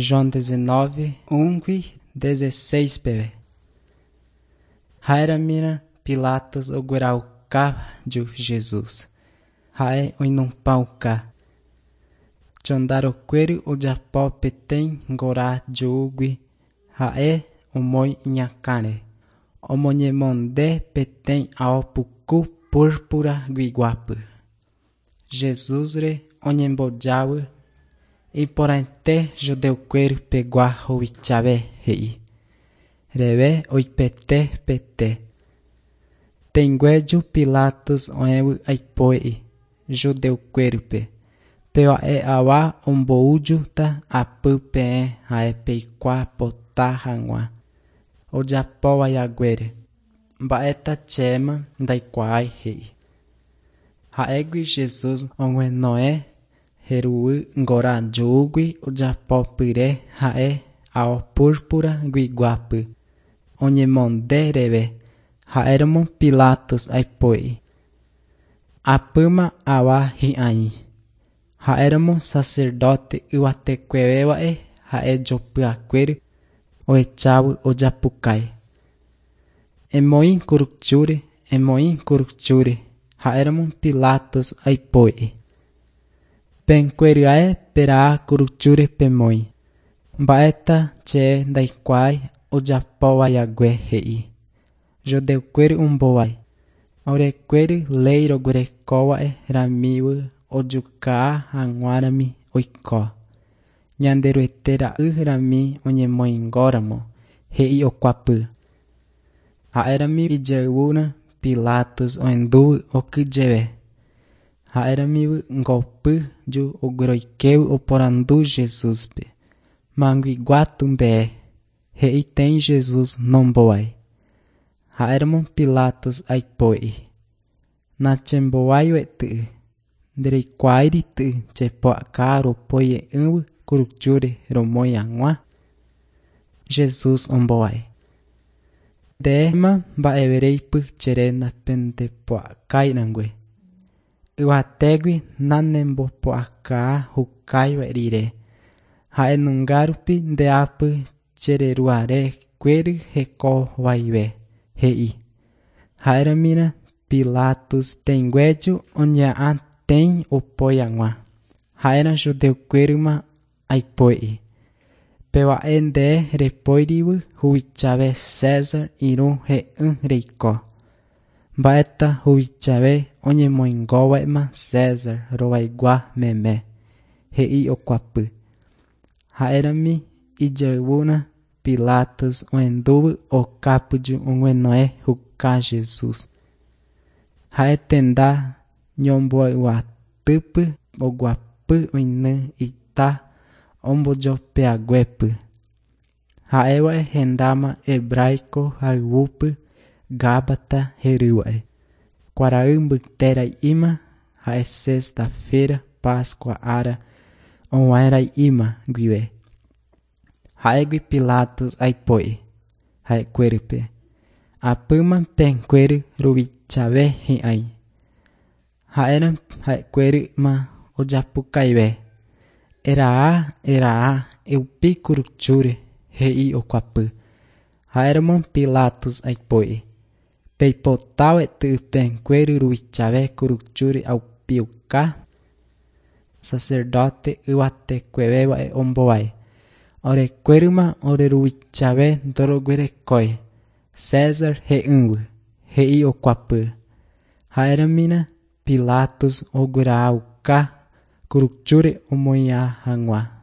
João 19, 1 16 peve. Ha'éramína Pilatos ogueraukáju Jesús. Ha'e oinupãuka. Chondarokuéry ojapo peteĩ ngora júgui ha'e omoĩ iñakãre. Omoñemonde peteĩ ao puku púrpura guiguápy. Jesúsre oñembojavy iporãite judeukuéry pegua huvichave he'i. Reve oipete pete. Tẽnguéju Pilatos oẽvy aipo'i judeukuérype. Péva'e ava omboújuta apy peẽ ha'e peikuaa pota hag̃ua ojapóvahaguére. Mba'éta chéma ndaikuaái he'i. Ha'égui Jesús oguenohẽ heruy ngora júgui ojapópyre ha'e ao púrpura guiguápy. Oñemonde reve. Ha'éramo Pilatos aipo'i. Apýma ava hi'ãi. Ha'éramo sacerdote yvatekuéva'e ha'e jopyakuéry ohechávo ojapukái. Emoĩ kuruchúre, emoĩ kuruchúre. Ha'éramo Pilatos aipo'i. Penkuéryae peraha kuruchúre pemoĩ. Mba'éta che ndaikuaái ojapóvahague he'i. Judeukuéry ombovái. Orekuéry léi roguerekóva'e ramívy ojuka hag̃uarãmi oiko. Ñanderuete ra'y rami oñemoingóramo he'i okuapy. Ha'érami ijayvúrã Pilatos ohendúvy okyhyjeve. Ha'éramívy ngopy ju ogueroikévy oporandu Jesúspe. Manguiguátu nde he'itei Jesús nombovái. Ha'éramo Pilatos aipo'i. Nachembováivaetỹ. Ndereikuaáirity chepu'aka ropoie'ỹvy kuruchúre romoĩ hag̃ua. Jesús ombovái. Ndéma mba'evereípy chere napendepu'akáirangue. Yvatégui nanembopu'aka hukáiva rire. Ha'enungárupi ndeápy chereruarekuéry hekovaive he'i. Ha'éramína Pilatos tẽnguéju oñeha'ãtei opoi hag̃ua. Ha'érã judeukuéryma aipo'i. Péva'e nde repoírivy huvichave César irũ he'ỹ reiko. Mba'éta huvichave oñemoingóva'ema César rovaigua meme, he'i okuapy. Ha'érami ijayvúrã Pilatos ohendúvy okápyju oguenohẽ huka Jesús. Ha'e tenda ñomboyvatýpy oguapy oiny ita ombojopehaguépy. Ha'éva'e hendáma hebraico hayvúpy Gábata herýva'e. Kuarahy mbytera'íma ha'e sexta-feira Páscoa ára og̃uahẽra'íma guive. Ha'égui Pilatos aipo'i ha'ekuérype. Apýma penkuéry ruvichave hi'ãi. Ha'érã ha'ekuéryma ojapukaive. Eraha, eraha, eupi kuruchúre, he'i okuapy. Ha'éramo Pilatos aipo'i. Peipotávaetỹ penkuéry ruvichave kuruchúre aupiuka. Sacerdote yvatekuéva'e ombovái. Orekuéryma oreruvichave ndoroguerekói. César he'ỹvy, he'i okuapy. Ha'éramína Pilatos oguerahauka kuruchúre omoĩa hag̃ua.